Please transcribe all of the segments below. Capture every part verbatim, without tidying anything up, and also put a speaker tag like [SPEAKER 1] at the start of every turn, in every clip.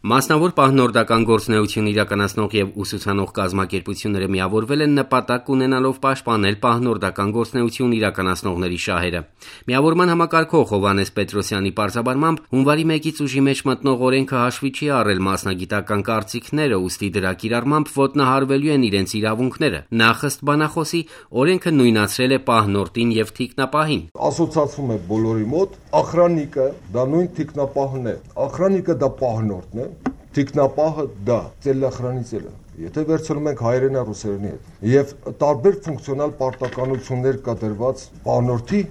[SPEAKER 1] Մասնավոր պահնորդական գործունեություն իրականացնող եւ ուսուցանող կազմակերպությունները միավորվել են նպատակ ունենալով պաշտպանել պահնորդական գործունեություն իրականացնողների շահերը։ Միավորման համակարգող Հովհաննես Պետրոսյանի պարզաբանմամբ հունվարի մեկից ուժի մեջ մտնող օրենքը հաշվի չի առել մասնագիտական կարծիքները, ուստի դրա կիրառմամբ ոտնահարվելու են իրենց իրավունքները։ Նախ ըստ բանախոսի օրենքը նույնացրել է պահնորդին եւ թիկնապահին։
[SPEAKER 2] Ասոցացվում է բոլորի մոտ, ախրանիկը դա նույն թիկնապահն է, ախրանիկը դա պահնորդն է, թիկնապահը դա ծելախրանից էլ է։ Եթե վերցնում ենք հայերենի ռուսերենի հետ եւ տարբեր ֆունկցիոնալ պարտականություններ կա դրված պահնորդի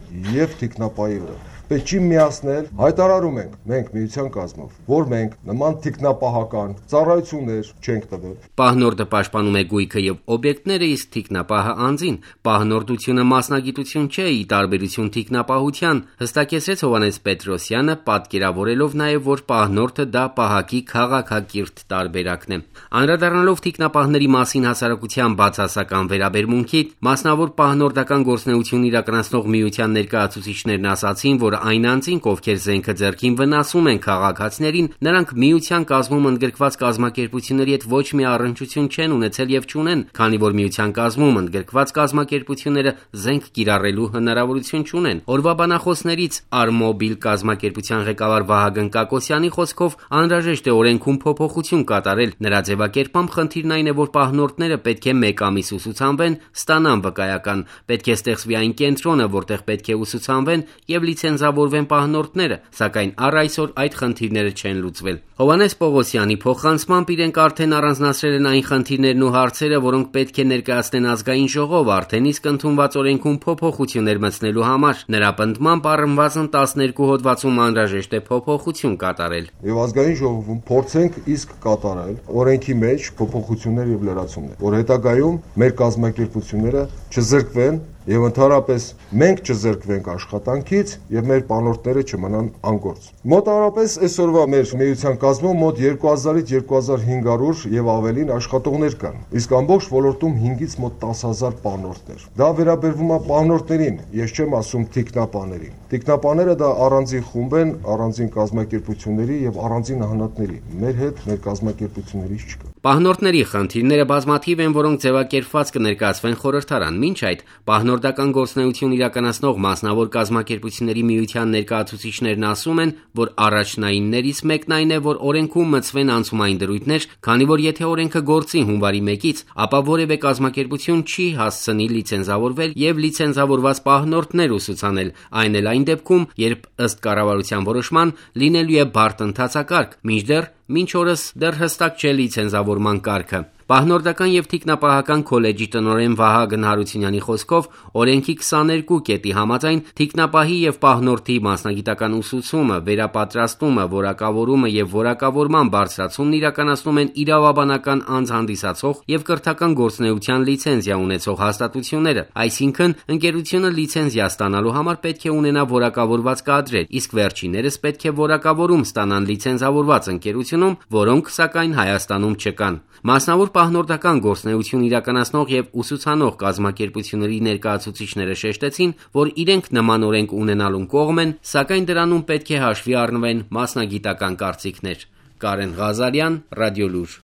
[SPEAKER 2] եւ թիկնապահի վրա, պետք չի միացնել, հայտարարում ենք մենք միության կազմով, որ մենք նման թիկնապահական ծառայություններ չենք տվել։
[SPEAKER 1] Պահնորդը պաշտպանում է գույքը եւ օբյեկտները, իսկ թիկնապահը անձին։ Պահնորդությունը մասնագիտություն չէ, ի տարբերություն թիկնապահության, հստակեցրեց Հովհաննես Պետրոսյանը, պատկերավորելով նաեւ, որ պահնորդը դա պահակի քաղաքակիրթ տարբերակն է։ Անդրադառնալով թիկնապահների մասին հասարակության բացասական վերաբերմունքի, մասնավոր պահնորդական գործունեություն իրականացնող միության ներկայացուցիչներն ասացին, որ այն անձինք, ովքեր զենքը ձեռքին վնասում են քաղաքացիներին, նրանք միության կազմում ընդգրկված կազմակերպությունների հետ ոչ մի առնչություն չեն ունեցել եւ չունեն, քանի որ միության կազմում ընդգրկված կազմակերպությունները զենք կիրառելու հնարավորություն չունեն։ Օրվա բանախոսներից Արմոբիլ կազմակերպության ղեկավար Վահագն Կակոսյանի խոսքով անհրաժեշտ է օրենքում փոփոխություն կատարել։ Նրա ձևակերպամբ խնդիրն այն է, որ պահնորդները պետք է մեկ ամիս ուսուցանվեն, ստանան վկայական, պետք է ստեղծվի այն կենտրոնը, որտեղ պետք է ուսուցանվեն եւ լիցենզավորվեն պահնորդները, սակայն առ այսօր այդ խնդիրները չեն լուծվել։ Հովհաննես Պողոսյանի փոխանցմամբ իրենք արդեն առանձնացրել են այն խնդիրներն ու հարցերը, որոնք պետք է ներկայացնեն ազգային ժողով, արդեն իսկ ընդունված օրենքում փոփոխություններ մտցնելու համար։ Նրա պնդմամբ առնվազն տասներկու հոդվածում անհրաժեշտ է փոփոխություն կատարել։
[SPEAKER 2] Եվ ազգային ժողովում փորձենք իսկ կատարել օրենքի մեջ փոփոխություններ եւ լրացումներ, որ հետագայում մեր կազմակերպությունները չզրկվեն եւ ընդհանրապես մենք չզրկվենք աշխատանքից եւ մեր պանորդները չմնան անգործ։ Մոտավորապես այսօրվա մեր միության կազմում մոտ երկու հազարից երկու հազար հինգ հարյուր եւ ավելին աշխատողներ կան, իսկ ամբողջ ոլորտում հինգից մոտ տասը հազար պանորդներ։ Դա վերաբերվում է պանորդներին, ես չեմ ասում թիկնապաներին։ Թիկնապաները դա առանձին խումբ են, առանձին կազմակերպությունների եւ առանձին անհատների։ Մեր հետ մեր կազմակերպություններից չկա։
[SPEAKER 1] Պահնորդների խնդիրները բազմաթիվ են, որոնք ձևակերպված կներկայացվեն խորհրդարան։ Մինչ այդ պահնորդական գործունեություն իրականացնող մասնավոր կազմակերպությունների միության ներկայացուցիչներն ասում են, որ առաջնայիններից մեկն այն է, որ օրենքում մտցվեն անցումային դրույթներ, քանի որ եթե օրենքը գործի հունվարի մեկից, ապա որևէ կազմակերպություն չի հասցնի լիցենզավորվել եւ լիցենզավորված պահնորդներ ուսուցանել, այն էլ այն դեպքում, երբ ըստ կառավարության որոշման լինելու է բարդ ընթացակարգ, մինչդեռ մինչ օրս դեռ հստակ չէ լիցենզավորման կարգը։ Պահնորդական եւ թիկնապահական քոլեջի տնօրեն Վահագն Հարությունյանի խոսքով օրենքի քսաներկու կետի համաձայն թիկնապահի եւ պահնորդի մասնագիտական ուսուցումը, վերապատրաստումը, որակավորումը եւ որակավորման բարձրացումն իրականացնում են իրավաբանական անձ հանդիսացող եւ կրթական գործունեության լիցենզիա ունեցող հաստատությունները, այսինքն ընկերությունը լիցենզիա ստանալու համար պետք է ունենա որակավորված կադրեր, իսկ վերջիններս պետք է որակավորում ստանան լիցենզավորված ընկերությունում, որոնք սակայն Հայաստանում չկան։ Մասնավոր պահնորդական գործունեություն իրականացնող եւ ուսուցանող կազմակերպությունների ներկայացուցիչները շեշտեցին, որ իրենք նման օրենք ունենալուն կողմ են, սակայն դրանում պետք է հաշվի առնվեն մասնագիտական կարծիքներ։ Կարեն Ղազարյան, Ռադիոլուր։